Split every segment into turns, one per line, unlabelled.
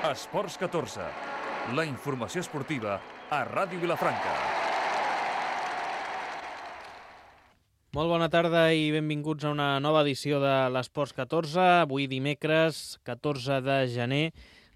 Esports 14, la informació esportiva a Ràdio Vilafranca.
Molt bona tarda i benvinguts a una nova edició de l'Esports 14, avui dimecres 14 de gener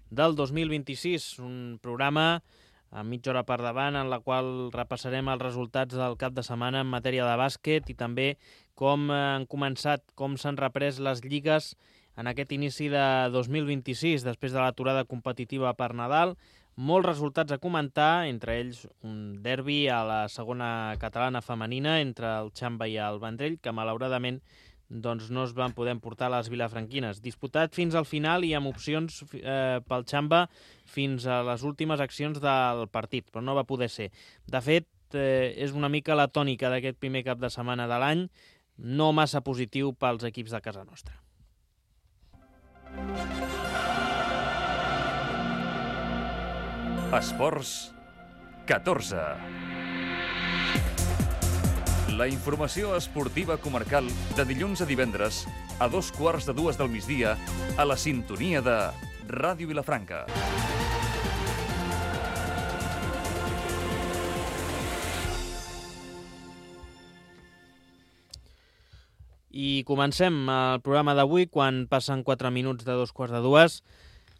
del 2026, un programa a mitja hora per davant en la qual repassarem els resultats del cap de setmana en matèria de bàsquet i també com han començat, com s'han reprès les lligues en aquest inici de 2026, després de l'aturada competitiva per Nadal. Molts resultats a comentar, entre ells un derbi a la segona catalana femenina entre el Xamba i el Vendrell, que malauradament doncs, no es van poder emportar les vilafranquines. Disputat fins al final i amb opcions pel Xamba fins a les últimes accions del partit, però no va poder ser. De fet, és una mica la tònica d'aquest primer cap de setmana de l'any, no massa positiu pels equips de casa nostra.
Esports 14. La informació esportiva comarcal de dilluns a divendres a 2:15 del migdia a la sintonia de Ràdio Vilafranca.
I comencem el programa d'avui quan passen 4 minuts de 2:15.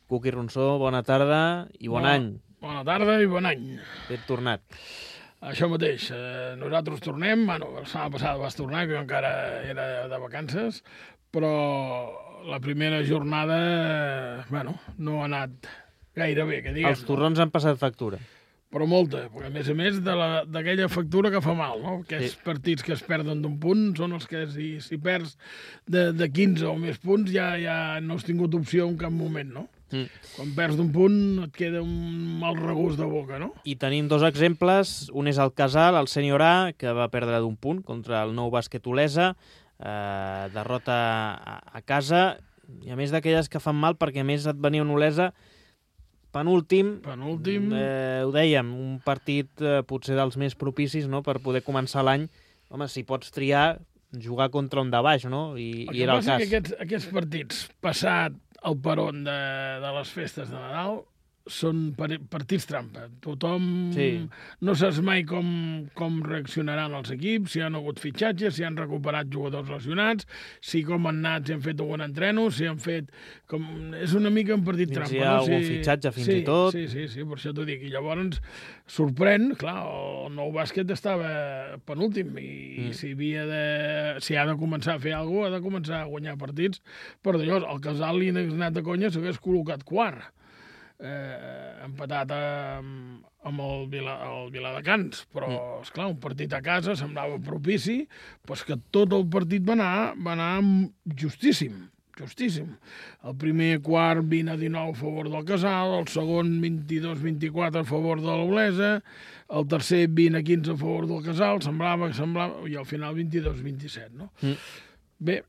Cuqui Ronsó, bona tarda i bon any.
Bona tarda i bon any.
Ben tornat.
Això mateix, nosaltres tornem, la setmana passada vas tornar, que jo encara era de vacances, però la primera jornada, no ha anat gaire bé, que diguem.
Els torrons han passat factura.
Però molta, perquè a més d'aquella factura que fa mal, no? Aquests partits que es perden d'un punt són els que si perds de 15 o més punts ja no has tingut opció en cap moment, no? Quan perds d'un punt et queda un mal regust de boca, no?
I tenim dos exemples. Un és el Casal, el Sènior A, que va perdre d'un punt contra el Nou Bàsquet Olesa, derrota a casa, i a més d'aquelles que fan mal perquè a més et venia un Olesa penúltim. Ho dèiem, un partit potser dels més propicis, no?, per poder començar l'any. Home, si pots triar, jugar contra un de baix, no? I era el cas.
Que aquests partits, passat el peron de les festes de Nadal, són partits trampa. Tothom no saps mai com reaccionaran els equips, si han hagut fitxatges, si han recuperat jugadors lesionats, si com han anat, si han fet algun entreno, si han fet... És una mica un partit trampa.
Si hi ha algun fitxatge fins i tot.
Sí, per això t'ho dic. I llavors sorprèn, clar, el Nou Bàsquet estava penúltim i si ha de començar a fer alguna cosa, ha de començar a guanyar partits. Per d'allò, el Casal li n'hagués anat de conya s'hagués col·locat quart. Empatat amb el Viladecans, però esclar, un partit a casa semblava propici, doncs que tot el partit va anar justíssim. El primer quart 20-19 a favor del Casal, el segon 22-24 a favor de l'Olesa, el tercer 20-15 a favor del Casal, semblava, i al final 22-27, no? Bé,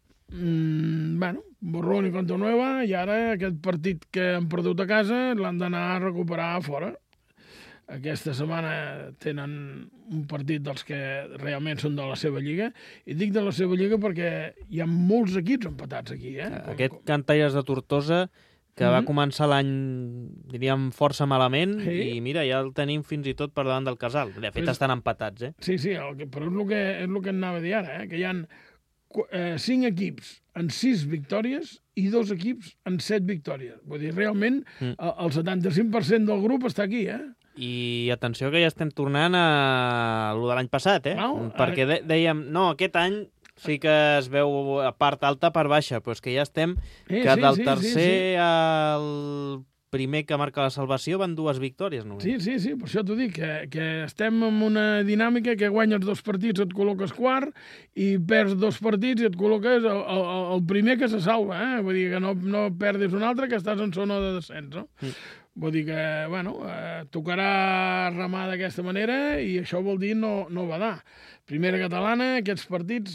borrón i contra nueva, i ara aquest partit que han perdut a casa l'han d'anar a recuperar a fora. Aquesta setmana tenen un partit dels que realment són de la seva lliga, i dic de la seva lliga perquè hi ha molts equips empatats aquí.
Aquest Cantaires de Tortosa, que va començar l'any, diríem, força malament, i mira, ja el tenim fins i tot per davant del Casal. De fet, estan empatats,
Sí, però és el que anava a dir ara, que hi ha 5 equips en 6 victòries i 2 equips en 7 victòries. Vull dir, realment, el 75% del grup està aquí,
I atenció que ja estem tornant a lo de l'any passat, perquè dèiem, no, aquest any sí que es veu a part alta, part baixa, però és que ja estem del tercer al primer que marca la salvació van 2 victòries només.
Sí, per això t'ho dic, que estem en una dinàmica que guanyes 2 partits et col·loques quart i perds 2 partits i et col·loques el primer que se salva, Vull dir que no perdis un altre, que estàs en zona de descens, no? Vull dir que, tocarà remar d'aquesta manera i això vol dir no badar. Primera catalana, aquests partits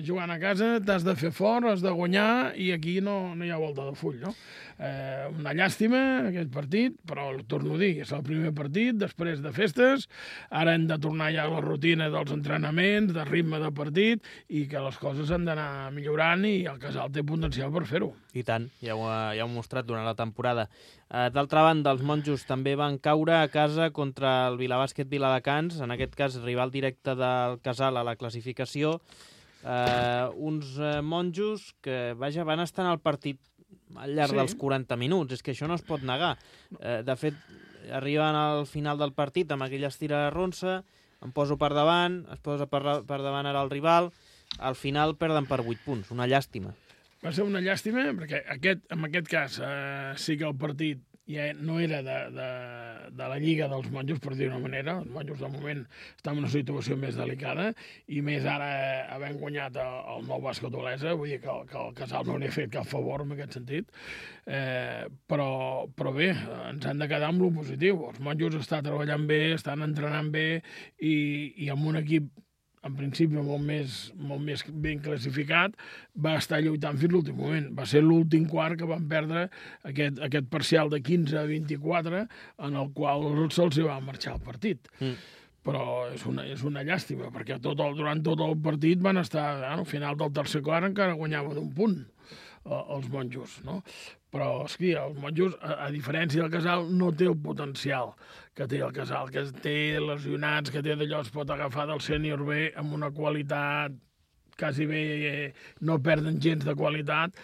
jugant a casa, t'has de fer fort, has de guanyar, i aquí no hi ha volta de full, no? Una llàstima, aquest partit, però torno a dir, és el primer partit, després de festes, ara hem de tornar ja a la rutina dels entrenaments, de ritme de partit, i que les coses han d'anar millorant, i el Casal té potencial per fer-ho.
I tant, ja ho heu mostrat durant la temporada. D'altra banda, els monjos també van caure a casa contra el Vilabàsquet Viladecans, en aquest cas rival directe del Casal a la classificació. Uns monjos que, vaja, van estar en el partit al llarg dels 40 minuts, és que això no es pot negar. De fet, arriben al final del partit amb aquella estira de ronça, em poso per davant, es posa per davant ara el rival, al final perden per 8 punts, una llàstima.
Va ser una llàstima, perquè en aquest cas sí que el partit ja no era de la Lliga dels monjos, per dir-ho d'una manera. Els monjos, de moment, estan en una situació més delicada, i més ara havent guanyat el Nou Bàsquet Olesa, vull dir que el Casal no li ha fet cap favor en aquest sentit. Però bé, ens han de quedar amb lo positiu. Els monjos estan treballant bé, estan entrenant bé, i amb un equip en principi molt més ben classificat, va estar lluitant fins l'últim moment. Va ser l'últim quart que van perdre aquest parcial de 15 a 24, en el qual se'ls va marxar el partit. Però és una llàstima, perquè durant tot el partit van estar, al final del tercer quart encara guanyaven un punt els monjos, no? Però, hòstia, els monjos, a diferència del Casal, no té el potencial que té el Casal, que té lesionats, que té d'allò, es pot agafar del sènior B amb una qualitat quasi bé, no perden gens de qualitat,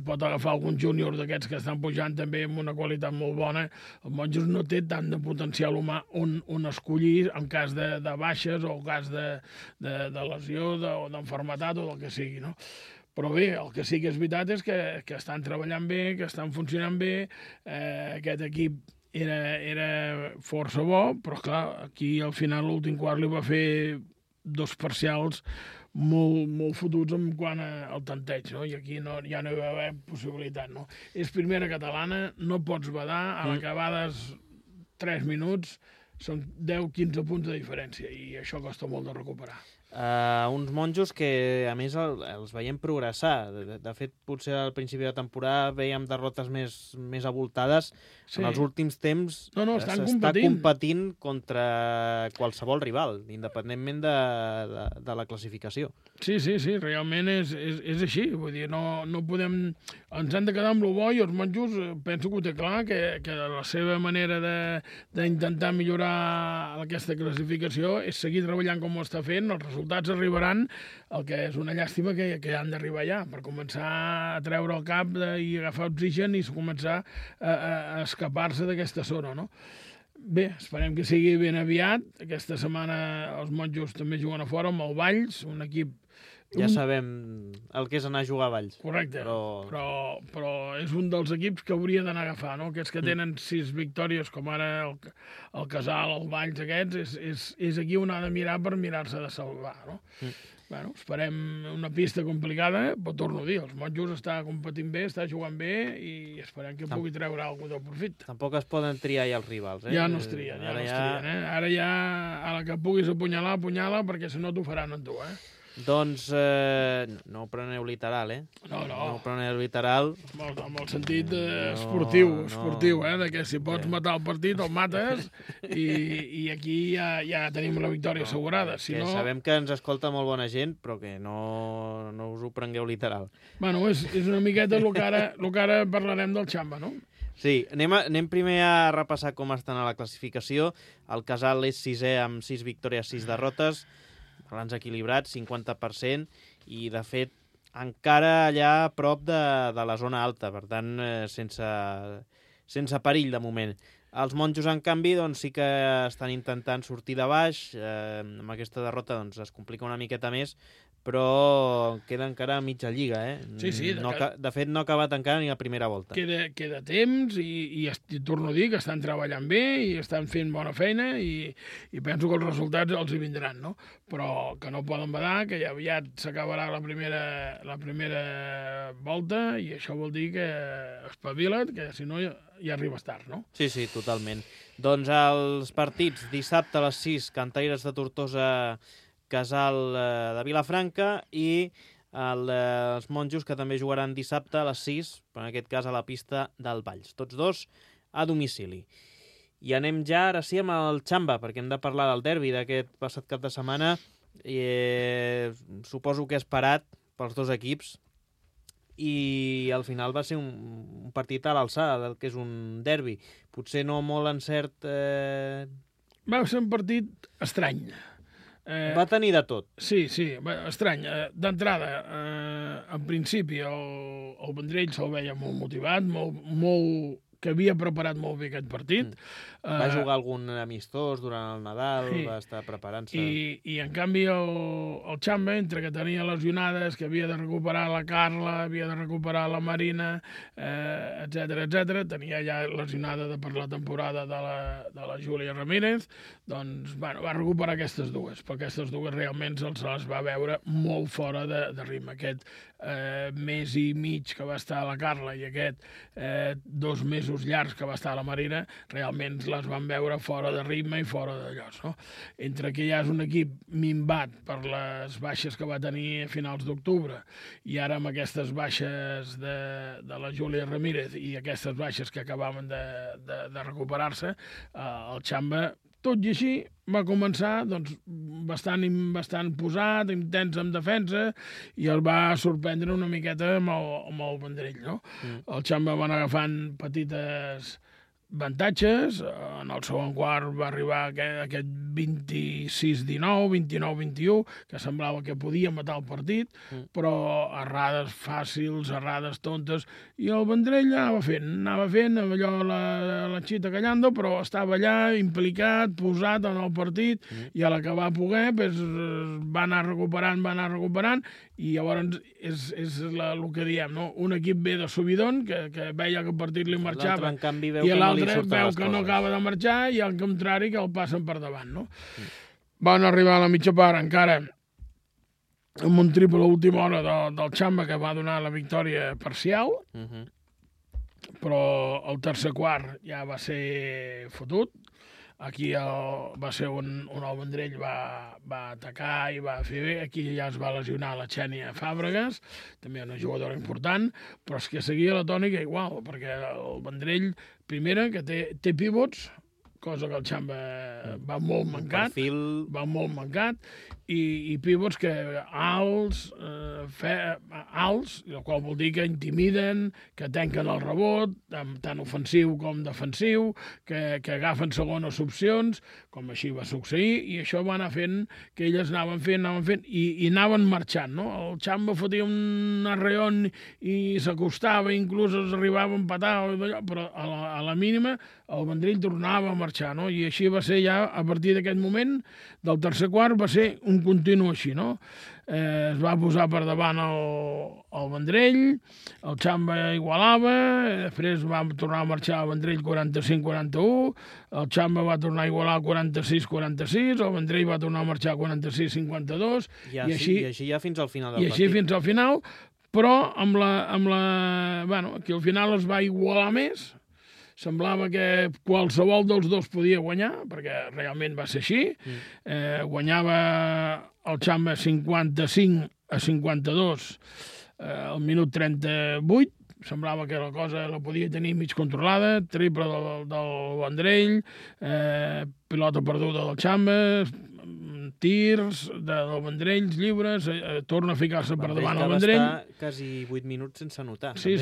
pot agafar algun júnior d'aquests que estan pujant també amb una qualitat molt bona. Els monjos no té tant de potencial humà on escollir en cas de baixes o en cas de lesió o d'enfermetat o del que sigui, no? Però bé, el que sí que és veritat és que estan treballant bé, que estan funcionant bé, aquest equip era força bo, però clar, aquí al final l'últim quart li va fer 2 parcials molt fotuts en quant al tanteig, no? I aquí ja no hi va haver possibilitat, no? És primera catalana, no pots badar, a l'acabades 3 minuts són 10-15 punts de diferència, i això costa molt de recuperar.
Uns monjos que, a més, els veiem progressar. De fet, potser al principi de temporada veiem derrotes més abultades. Sí. En els últims temps s'està competint contra qualsevol rival, independentment de la classificació.
Sí, realment és així. Vull dir, no podem... Ens han de quedar amb lo bo, i els monjos penso que ho té clar, que la seva manera d'intentar millorar aquesta classificació és seguir treballant com ho està fent. Els resultats arribaran, el que és una llàstima que han d'arribar ja, per començar a treure el cap i agafar oxigen i començar a escapar-se d'aquesta zona, no? Bé, esperem que sigui ben aviat. Aquesta setmana els monjos també juguen a fora amb el Valls, un equip...
Ja sabem el que és anar a jugar a Valls.
Correcte, però és un dels equips que hauria d'anar a agafar, no? Aquests que tenen 6 victòries, com ara el Casal, el Valls, aquests, és aquí on ha de mirar per mirar-se de salvar, no? Bueno, esperem una pista complicada, però torno a dir, els monjos està competint bé, està jugant bé, i esperem que pugui treure alguna de profit.
Tampoc es poden triar ja els rivals, eh?
Ja no es trien, Ara ja, a la que puguis apunyala, perquè si no t'ho faran amb tu, eh?
Doncs no ho preneu literal, eh?
No
ho preneu literal.
Amb el sentit esportiu, que si pots matar el partit, el mates, i aquí ja tenim la victòria assegurada.
Sabem que ens escolta molt bona gent, però que no us ho prengueu literal.
Bueno, és una miqueta el que ara parlarem del Xamba, no?
Sí, anem primer a repassar com estan a la classificació. El Casal és 6è amb 6 victòries, 6 derrotes, balanç equilibrat, 50%, i de fet encara allà a prop de la zona alta, per tant sense perill de moment. Els monjos, en canvi, doncs, sí que estan intentant sortir de baix. Amb aquesta derrota doncs, es complica una miqueta més, però queda encara a mitja lliga, eh?
Sí.
De fet, no ha acabat encara ni la primera volta.
Queda temps, i torno a dir que estan treballant bé i estan fent bona feina, i penso que els resultats els hi vindran, no? Però que no poden badar, que ja aviat s'acabarà la primera volta, i això vol dir que espavila't, que si no ja arribes tard, no?
Sí, totalment. Doncs els partits, dissabte a les 6, Cantaires de Tortosa Casal de Vilafranca i els Monjos, que també jugaran dissabte a les 6, però en aquest cas a la pista del Valls. Tots dos a domicili. I anem ja, ara sí, amb el Xamba, perquè hem de parlar del derbi d'aquest passat cap de setmana. Suposo que esperat pels dos equips, i al final va ser un partit a l'alçada del que és un derbi. Potser no molt encert...
Va ser un partit estrany.
Va tenir de tot.
Sí, estrany. D'entrada, en principi, el Vendrell se'l veia molt motivat, molt que havia preparat molt bé aquest partit.
Va jugar algun amistós durant el Nadal, sí. Va estar preparant-se...
I en canvi el Xamba, entre que tenia lesionades, que havia de recuperar la Carla, havia de recuperar la Marina, etc, tenia ja lesionada per la temporada de la Júlia Ramírez, doncs bueno, va recuperar aquestes dues, perquè aquestes dues realment se les va veure molt fora de ritme. Aquest mes i mig que va estar la Carla i aquest 2 mesos llargs que va estar la Marina, realment les van veure fora de ritme i fora de llocs, no? Entre que ja és un equip minvat per les baixes que va tenir a finals d'octubre i ara amb aquestes baixes de la Júlia Ramírez i aquestes baixes que acabaven de recuperar-se, el Xamba, tot i així, va començar doncs, bastant posat, intens en defensa, i el va sorprendre una miqueta amb el Vendrell, no? El Xamba van agafant petites avantatges, en el segon quart va arribar aquest 26-19, 29-21, que semblava que podia matar el partit, però errades fàcils, errades tontes, i el Vendrell anava fent allò la xita callando, però estava allà implicat, posat en el partit, i a l'acabar poder va anar recuperant, i llavors és el que diem, no? Un equip ve de subidon, que veia que el partit li marxava, i l'altre veu que no acaba de marxar, i al contrari que el passen per davant, no? Van arribar a la mitja part encara amb un triple a última hora del Xamba que va donar la victòria parcial, però el tercer quart ja va ser fotut. Aquí va ser on el Vendrell va atacar i va fer bé. Aquí ja es va lesionar la Xènia Fàbregas, també una jugadora important, però és que seguia la tònica igual, perquè el Vendrell, primera, que té pivots, cosa que el Xamba va molt mancat, i pivots que alts, el qual vol dir que intimiden, que tanquen el rebot, tant ofensiu com defensiu, que agafen segones opcions, com així va succeir, i això va anar fent que elles anaven fent, i anaven marxant, no? El Xamba fotia un arreon i s'acostava, inclús els arribava a empatar, però a la mínima el Vendrell tornava a marxar, no? I així va ser ja, a partir d'aquest moment, del tercer quart, va ser un continu així, no? Es va posar per davant el Vendrell, el Xamba igualava, després va tornar a marxar el Vendrell 45-41, el Xamba va tornar a igualar 46-46, el Vendrell va tornar a marxar 46-52,
i així ja fins al final del partit.
I així fins al final, però bueno, aquí al final es va igualar més. Semblava que qualsevol dels dos podia guanyar, perquè realment va ser així. Guanyava el Xamba 55-52 al minut 38. Semblava que la cosa la podia tenir mig controlada. Triple del Vendrell, pilota perduda del Xamba, tirs del Vendrell, lliures, torna a ficar-se per davant el Vendrell.
Va estar quasi 8 minuts sense anotar.
Sí,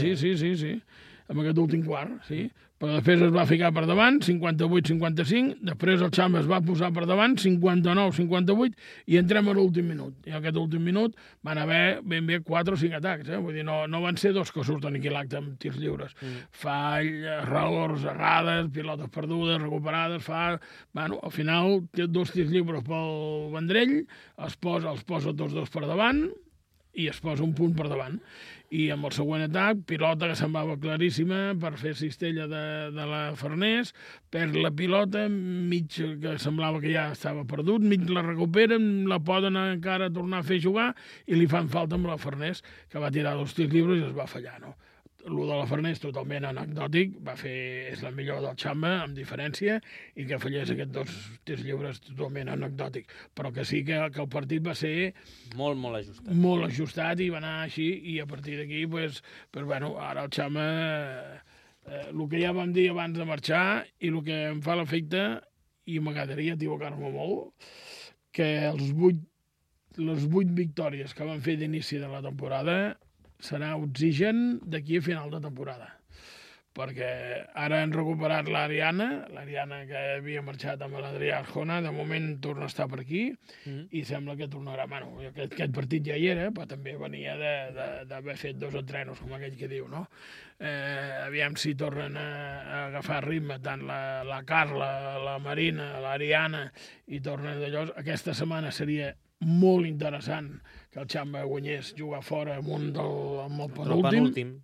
amb aquest últim quart, sí. Però després es va ficar per davant, 58-55, després el Xamba es va posar per davant, 59-58, i entrem a l'últim minut. I en aquest últim minut van haver ben bé 4 o 5 atacs, vull dir, no van ser dos que surten aquí l'acte amb tirs lliures. Fall, errors, errades, pilotes perdudes, recuperades, Bueno, al final té 2 tirs lliures pel Vendrell, els posa tots dos per davant, i es posa un punt per davant. I amb el següent atac, pilota que semblava claríssima per fer cistella de la Farners, perd la pilota, mig que semblava que ja estava perdut, mig la recuperen, la poden encara tornar a fer jugar i li fan falta amb la Farners, que va tirar 2 tirs lliures i es va fallar, no? el de la Farners totalment anecdòtic, és la millor del Xamba, amb diferència, i que fallés aquests 2 tirs lliures totalment anecdòtic. Però que sí que el partit va ser...
Molt ajustat.
Molt ajustat i va anar així, i a partir d'aquí, ara el Xamba, el que ja vam dir abans de marxar, i el que em fa l'efecte, i m'agradaria equivocar-me molt, que les 8 victòries que van fer d'inici de la temporada serà oxigen d'aquí a final de temporada. Perquè ara han recuperat l'Ariana que havia marxat amb l'Adrià Arjona, de moment torna a estar per aquí, i sembla que tornarà. Bueno, aquest partit ja hi era, però també venia d'haver fet 2 entrenos, com aquell que diu, no? Aviam si tornen a agafar ritme, tant la Carla, la Marina, l'Ariana, i tornen d'allò. Aquesta setmana seria molt interessant que el Xamba guanyés, jugar fora amb el penúltim,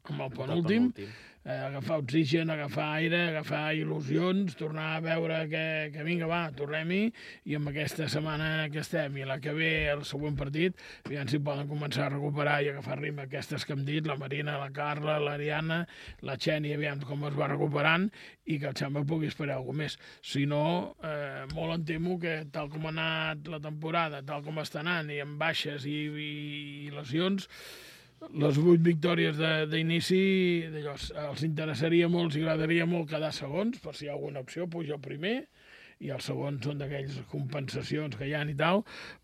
agafar oxigen, agafar aire, agafar il·lusions, tornar a veure que vinga, va, tornem-hi, i amb aquesta setmana que estem i la que ve, el següent partit, aviam si poden començar a recuperar i agafar ritme aquestes que hem dit, la Marina, la Carla, l'Ariana, la Xeni, aviam com es va recuperant, i que el Xamba pugui esperar alguna més. Si no, molt em temo que tal com ha anat la temporada, tal com està anant, i amb baixes i lesions, les 8 victòries d'inici els interessaria molt, els agradaria molt quedar segons, per si hi ha alguna opció, puja el primer, i els segons són d'aquelles compensacions que hi ha i tal,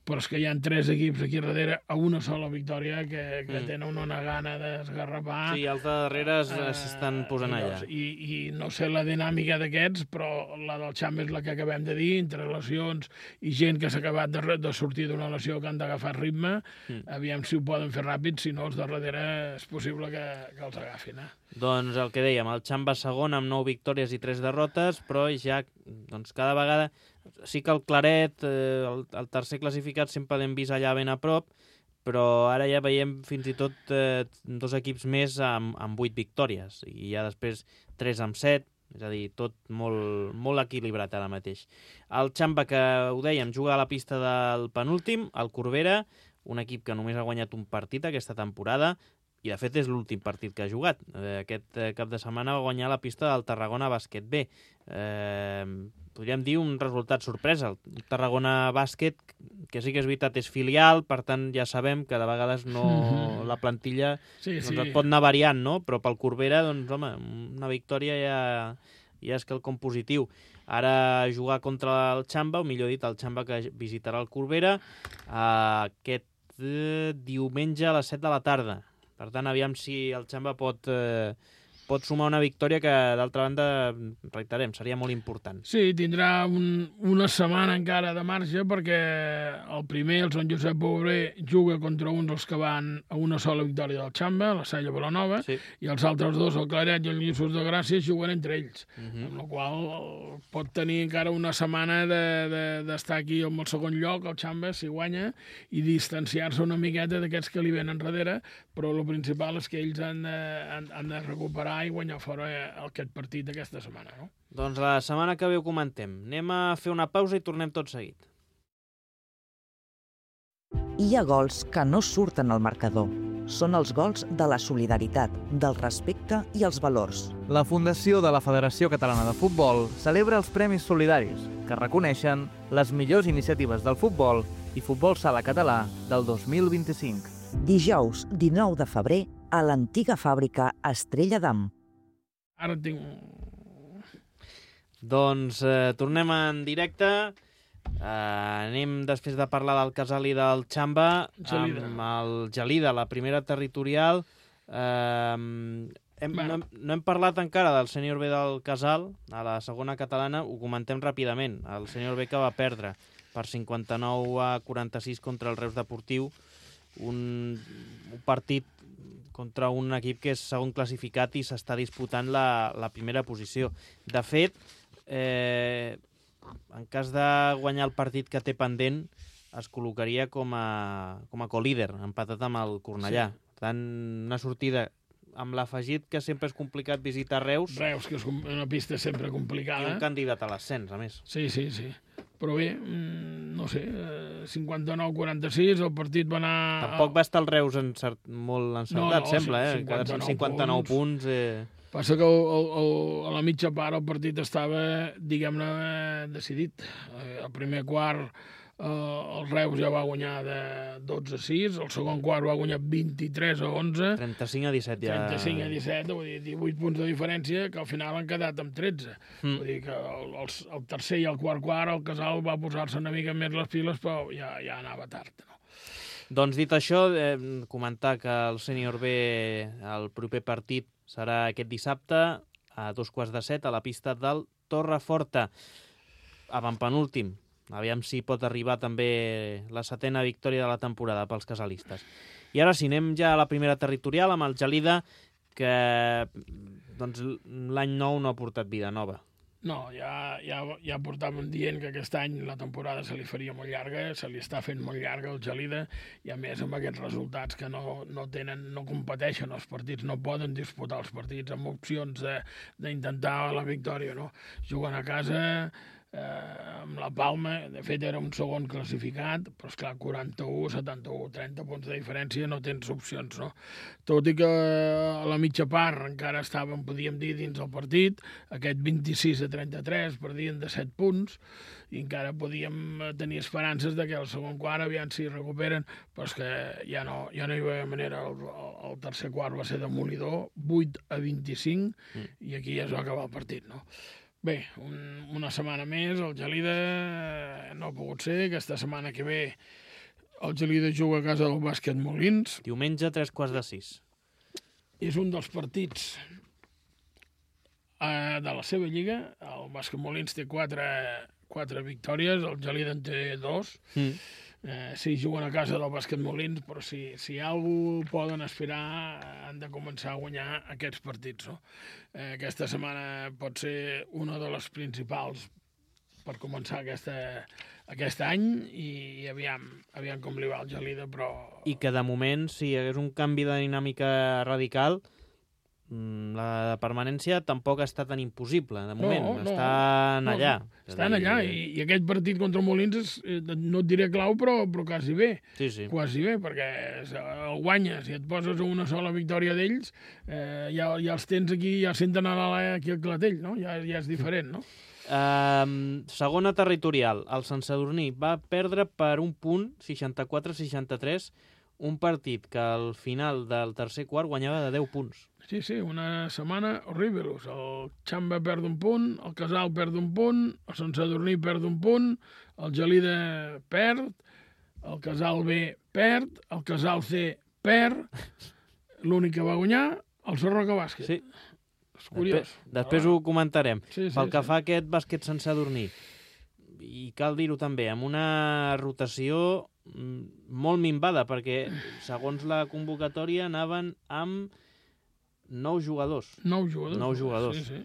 però és que hi ha 3 equips aquí darrere a una sola victòria que tenen una gana d'esgarrapar.
Sí, els de darrere s'estan posant allà.
I no sé la dinàmica d'aquests, però la del Xamba és la que acabem de dir, entre lesions i gent que s'ha acabat de sortir d'una lesió que han d'agafar ritme, aviam si ho poden fer ràpid, si no els de darrere és possible que els agafin.
Doncs el que dèiem, el Xamba segon amb 9 victòries i 3 derrotes, però ja cada vegada... Sí que el Claret, el tercer classificat, sempre l'hem vist allà ben a prop, però ara ja veiem fins i tot 2 equips més amb 8 victòries, i ja després 3 amb 7, és a dir, tot molt equilibrat ara mateix. El Xamba, que ho dèiem, juga a la pista del penúltim, el Corbera, un equip que només ha guanyat un partit aquesta temporada, i de fet és l'últim partit que ha jugat. Aquest cap de setmana va guanyar la pista del Tarragona Bàsquet B. Podríem dir un resultat sorpresa. El Tarragona Bàsquet, que sí que és veritat, és filial, per tant ja sabem que de vegades la plantilla et pot anar variant, no? Però pel Corbera, doncs, home, una victòria ja és quelcom positiu. Ara jugar contra el Xamba, o millor dit, el Xamba que visitarà el Corbera, aquest diumenge a les 7 de la tarda. Per tant, aviam si el Xamba pot sumar una victòria que, d'altra banda, reiterem, seria molt important.
Sí, tindrà una setmana encara de marge, perquè el primer, el Sant Josep Bové, juga contra un dels que van a una sola victòria del Xamba, la Salla Vilanova, i els altres 2, el Claret i el Lliços de Gràcia, juguen entre ells, amb la qual pot tenir encara una setmana d'estar aquí amb el segon lloc, el Xamba, si guanya, i distanciar-se una miqueta d'aquests que li venen darrere, però el principal és que ells han de recuperar i guanyar fora aquest partit d'aquesta setmana, no?
Doncs la setmana que ve ho comentem. Anem a fer una pausa i tornem tot seguit.
Hi ha gols que no surten al marcador. Són els gols de la solidaritat, del respecte i els valors.
La Fundació de la Federació Catalana de Futbol celebra els Premis Solidaris, que reconeixen les millors iniciatives del futbol i futbol sala català del 2025.
Dijous 19 de febrer a l'antiga fàbrica Estrella d'Am.
Ara tinc...
Doncs tornem en directe. Anem, després de parlar del Casal i del Xamba, amb el Gelida, la primera territorial. No hem parlat encara del sènior B del Casal, a la segona catalana, ho comentem ràpidament. El sènior B que va perdre per 59-46 contra el Reus Deportiu, un partit contra un equip que és segon classificat i s'està disputant la primera posició. De fet, en cas de guanyar el partit que té pendent, es col·locaria com a colíder, empatat amb el Cornellà. Per tant, una sortida amb l'afegit que sempre és complicat visitar Reus.
Reus, que és una pista sempre complicada.
I un candidat a l'ascens, a més.
Sí. Però bé, no sé, 59-46, el partit va anar...
Tampoc va estar el Reus molt encertat,
No,
sembla, 59 punts.
Passa que a la mitja part el partit estava, diguem-ne, decidit. El primer quart el Reus ja va guanyar de 12-6, el segon quart va guanyar 23-11.
35-17 ja.
35-17, vull dir, 18 punts de diferència, que al final han quedat amb 13. Vull dir que el tercer i el quart el Casal va posar-se una mica més les piles, però ja anava tard, no?
Doncs dit això, comentar que el sènior B, el proper partit, serà aquest dissabte a 7:15 a la pista del Torreforta. Avantpenúltim. Aviam si pot arribar també la 7ª victòria de la temporada pels casalistes. I ara sí, anem ja a la primera territorial amb el Gelida, que doncs, l'any nou no ha portat vida nova.
No, ja portàvem dient que aquest any la temporada se li faria molt llarga, se li està fent molt llarga al Gelida, i a més amb aquests resultats que no competeixen els partits, no poden disputar els partits amb opcions d'intentar la victòria, no? Juguen a casa amb la Palma, de fet era un segon classificat, però esclar, 41, 71, 30 punts de diferència, no tens opcions, no? Tot i que a la mitja part encara estàvem, podíem dir, dins del partit, aquest 26-33 perdien de 7 punts, i encara podíem tenir esperances de que el segon quart aviam si recuperen, però és que ja no hi havia manera. El tercer quart va ser demolidor, 8-25, i aquí ja es va acabar el partit, no? Bé, una setmana més, el Gelida no ha pogut ser. Aquesta setmana que ve el Gelida juga a casa del Bàsquet Molins.
Diumenge, 5:45.
És un dels partits de la seva lliga. El Bàsquet Molins té 4 victòries, el Gelida en té 2. Sí, juguen a casa del Bàsquet Molins, però si algú poden aspirar, han de començar a guanyar aquests partits, no? Aquesta setmana pot ser una de les principals per començar aquest any, i aviam com li va al Gelida, però...
I que de moment, si hi hagués un canvi de dinàmica radical, la permanència tampoc està tan impossible, de moment. Estan allà.
Estan allà, i aquest partit contra Molins no et diré clau, però quasi bé.
Sí.
Quasi bé, perquè el guanyes i et poses a una sola victòria d'ells, ja els tens aquí, ja senten a l'ala aquí al clatell, no? Ja és diferent, no?
Segona territorial. El Sant Sadurní va perdre per un punt, 64-63, un partit que al final del tercer quart guanyava de 10 punts.
Sí, una setmana horrible. El Xamba perd un punt, el Casal perd un punt, el Sant Sadurní perd un punt, el Gelida perd, el Casal B perd, el Casal C perd, l'únic que va guanyar, el Sarroca Bàsquet.
Sí.
És curiós.
Després ho comentarem.
Sí,
Pel que fa a aquest bàsquet Sant Sadurní, i cal dir-ho també, amb una rotació molt minvada, perquè segons la convocatòria anaven amb 9 jugadors.
9 jugadors. Sí.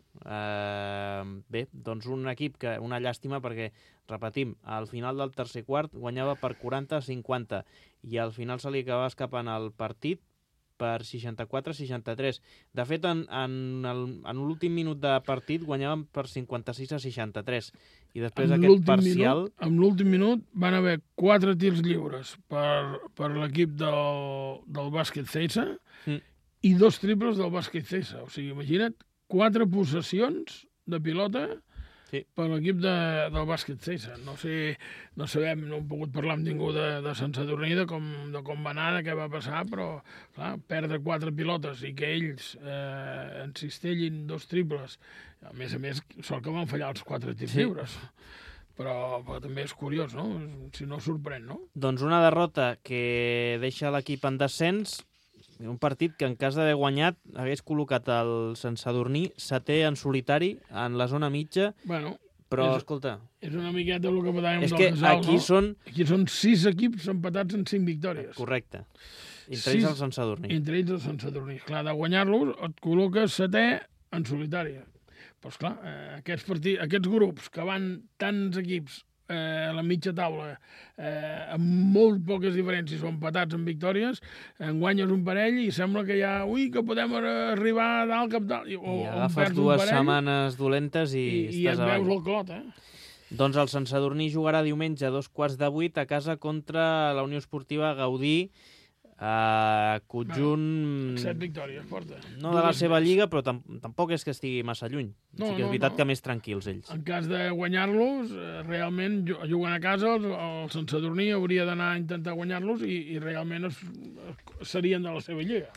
Bé, doncs un equip que una llàstima, perquè, repetim, al final del tercer quart guanyava per 40-50 i al final se li acabava escapant el partit per 64-63. De fet, en l'últim minut de partit guanyàvem per 56-63. I després aquest parcial...
En l'últim minut van haver 4 tirs lliures per l'equip del bàsquet Ceisa i 2 triples del bàsquet Ceisa. O sigui, imagina't, 4 possessions de pilota per l'equip del bàsquet Ceisa. No sabem, no hem pogut parlar amb ningú de Sant Sadurní de com va anar, de què va passar, però clar, perdre 4 pilotes i que ells encistellin 2 triples. A més, sort que van fallar els 4 tirs lliures. Però també és curiós, no? Si no sorprèn, no?
Doncs una derrota que deixa l'equip en descens, un partit que en cas d'haver guanyat hagués col·locat el Sant Sadurní 7è en solitari en la zona mitja, però escolta...
És una miqueta el que parlàvem del
Casal, no?
Aquí són 6 equips empatats en 5 victòries.
Correcte. Entre ells el Sant Sadurní.
Entre ells el Sant Sadurní. Clar, de guanyar-los et col·loques 7è en solitari. Però, esclar, aquests grups que van tants equips a la mitja taula amb molt poques diferències o empatats en victòries, en guanyes un parell i sembla que ja, que podem arribar a dalt cap dalt.
I agafes 2 setmanes dolentes i estàs avall.
Et veus el clot,
Doncs el Sant Sadurní jugarà diumenge a 7:15 a casa contra la Unió Esportiva Gaudí, conjunt...
7 victòries porta.
No de la seva lliga, però tampoc és que estigui massa lluny.
No,
sí que és veritat que més tranquils ells.
En cas de guanyar-los, realment jugant a casa, el Sant Sadurní hauria d'anar a intentar guanyar-los i realment serien de la seva lliga.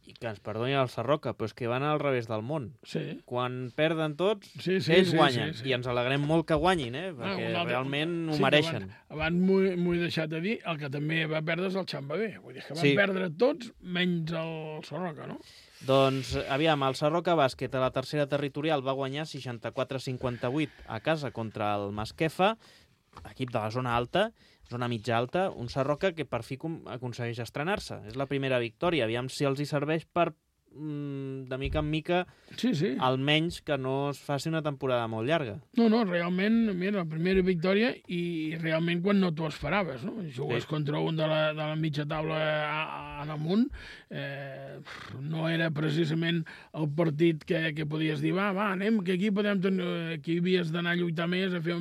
I que ens perdoni el Sarroca, però és que van al revés del món.
Sí.
Quan perden tots,
ells
guanyen.
Sí.
I ens alegrem molt que guanyin, perquè realment ho mereixen.
Abans m'ho he deixat de dir, el que també va perdre és el Xamba B. Vull dir que van perdre tots, menys el Sarroca, no?
Doncs, aviam, el Sarroca Bàsquet a la tercera territorial va guanyar 64-58 a casa contra el Masquefa, equip de la zona alta, zona mitja alta, un Sarroca que per fi aconsegueix estrenar-se. És la primera victòria. Aviam si els hi serveix per, de mica en mica, almenys que no es faci una temporada molt llarga.
No, realment, mira, la primera victòria i realment quan no t'ho esperaves, no? Jugues contra un de la mitja taula en amunt, no era precisament el partit que podies dir, va, anem, que aquí havies d'anar a lluitar més, a fer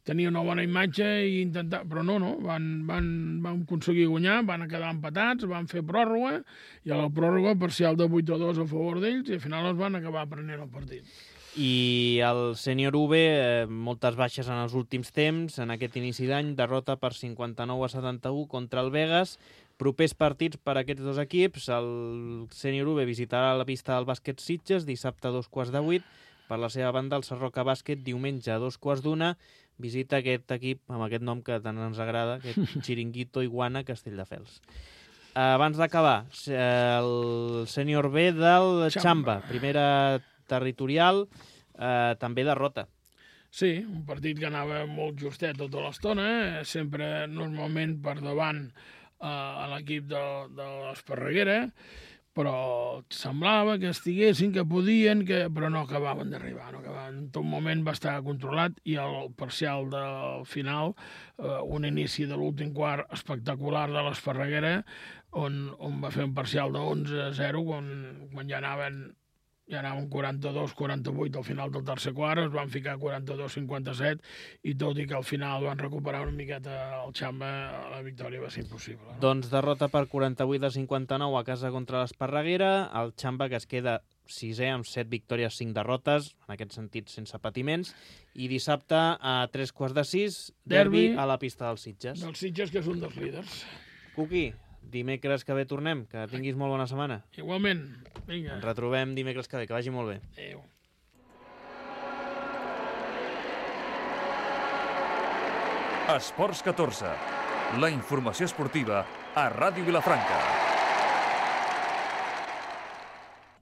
tenir una bona imatge i intentar... Però no, van aconseguir guanyar, van quedar empatats, van fer pròrroga, i a la pròrroga parcial de 8-2 a favor d'ells, i al final es van acabar prenent el partit.
I el sènior UB, moltes baixes en els últims temps, en aquest inici d'any, derrota per 59-71 contra el Vegas. Propers partits per a aquests dos equips, el sènior UB visitarà la pista del bàsquet Sitges dissabte a 7:15, per la seva banda el Sarroca Bàsquet diumenge a 2:15, visita aquest equip amb aquest nom que tant ens agrada, aquest Chiringuito Iguana Castelldefels. Abans d'acabar, el sènior B del Xamba, primera territorial, també derrota.
Sí, un partit que anava molt justet tota l'estona, sempre normalment per davant a l'equip de l'Esparreguera, però semblava que estiguessin, que podien, però no acabaven d'arribar. En tot moment va estar controlat i el parcial del final, un inici de l'últim quart espectacular de l'Esparreguera, on va fer un parcial de 11-0, quan ja anaven 42-48 al final del tercer quart, es van ficar 42-57, i tot i que al final van recuperar una miqueta el Xamba, la victòria va ser impossible. No?
Doncs derrota per 48-59 a casa contra l'Esparreguera, el Xamba que es queda sisè amb 7 victòries, 5 derrotes, en aquest sentit sense patiments, i dissabte a 3:15, derbi a la pista dels Sitges.
Dels Sitges, que és un dels líders.
Cuqui, dimecres que ve tornem, que tinguis molt bona setmana.
Igualment, vinga.
Ens retrobem dimecres que ve, que vagi molt bé.
Adéu.
Esports 14, la informació esportiva a Ràdio Vilafranca.